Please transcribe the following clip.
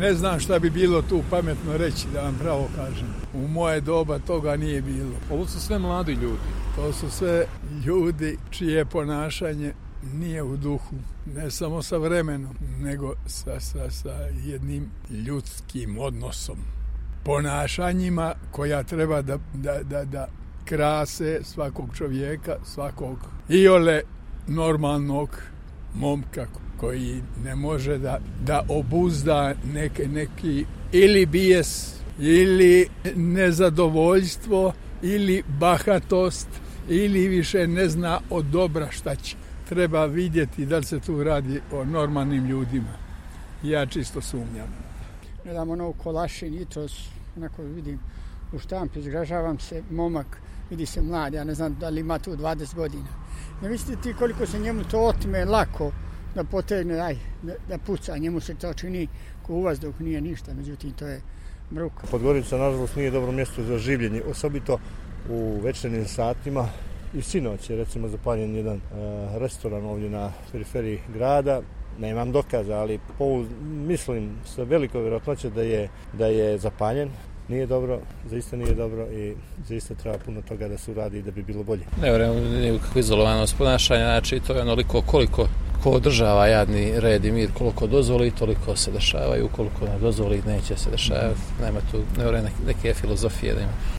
Ne znam šta bi bilo tu pametno reći, da vam pravo kažem. U moje doba toga nije bilo. Ovo su sve mladi ljudi. To su sve ljudi čije ponašanje nije u duhu, ne samo sa vremenom, nego sa jednim ljudskim odnosom. Ponašanjima koja treba da krase svakog čovjeka, svakog iole normalnog momka koji ne može da obuzda neki ili bijes, ili nezadovoljstvo, ili bahatost, ili više ne zna od dobra šta će. Treba vidjeti da li se tu radi o normalnim ljudima. Ja čisto sumnjam. Gledam ono u Kolašin, jutros, onako vidim u štampi, zgražavam se, momak, vidi se mlad, ja ne znam da li ima tu 20 godina. Ne mislite ti koliko se njemu to otme lako da potegne, da puca, njemu se to čini ko u vazduh, nije ništa, međutim to je mruka. Podgorica, nažalost, nije dobro mjesto za življenje, osobito u večernjim satima. I sinoć je recimo zapaljen jedan restoran ovdje na periferiji grada. Nemam dokaza, ali mislim sa velikoj vjerojatnoćom da je zapaljen. Nije dobro, zaista nije dobro i zaista treba puno toga da se uradi da bi bilo bolje. Ne vjerujem nikakvu izolovanost ponašanja, znači to je onoliko koliko ko održava jadni red i mir, koliko dozvoli, toliko se dešavaju, koliko ne dozvoli, neće se dešavati. Nema tu, ne vjerujem neke filozofije da ima.